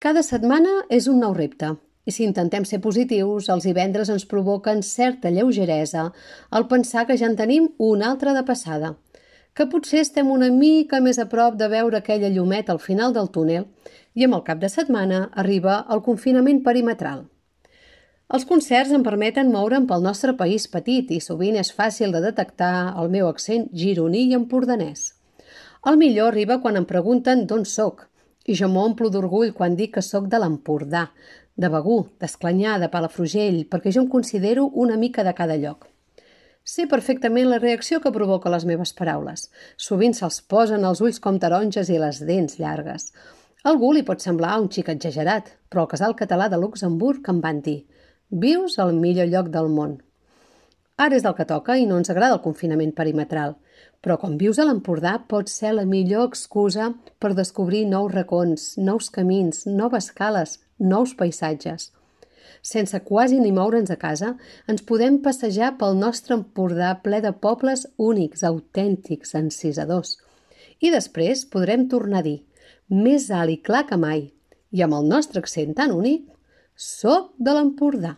Cada setmana és un nou repte, i si intentem ser positius, els divendres ens provoquen certa lleugeresa al pensar que ja en tenim una altra de passada, que potser estem una mica més a prop de veure aquella llumeta al final del túnel i amb el cap de setmana arriba el confinament perimetral. Els concerts em permeten moure'm pel nostre país petit i sovint és fàcil de detectar el meu accent gironí i empordanès. El millor arriba quan em pregunten d'on sóc, i jo m'omplo d'orgull quan dic que sóc de l'Empordà, de Begur, d'Esclanyà, de Palafrugell, perquè jo em considero una mica de cada lloc. Sé perfectament la reacció que provoca les meves paraules. Sovint se'ls posen els ulls com taronges i les dents llargues. A algú li pot semblar un xic exagerat, però al Casal Català de Luxemburg em van dir «Vius al millor lloc del món». Ara és el que toca i no ens agrada el confinament perimetral, però quan vius a l'Empordà pot ser la millor excusa per descobrir nous racons, nous camins, noves cales, nous paisatges. Sense quasi ni moure'ns a casa, ens podem passejar pel nostre Empordà ple de pobles únics, autèntics, encisadors. I després podrem tornar a dir, més alt i clar que mai, i amb el nostre accent tan únic, soc de l'Empordà.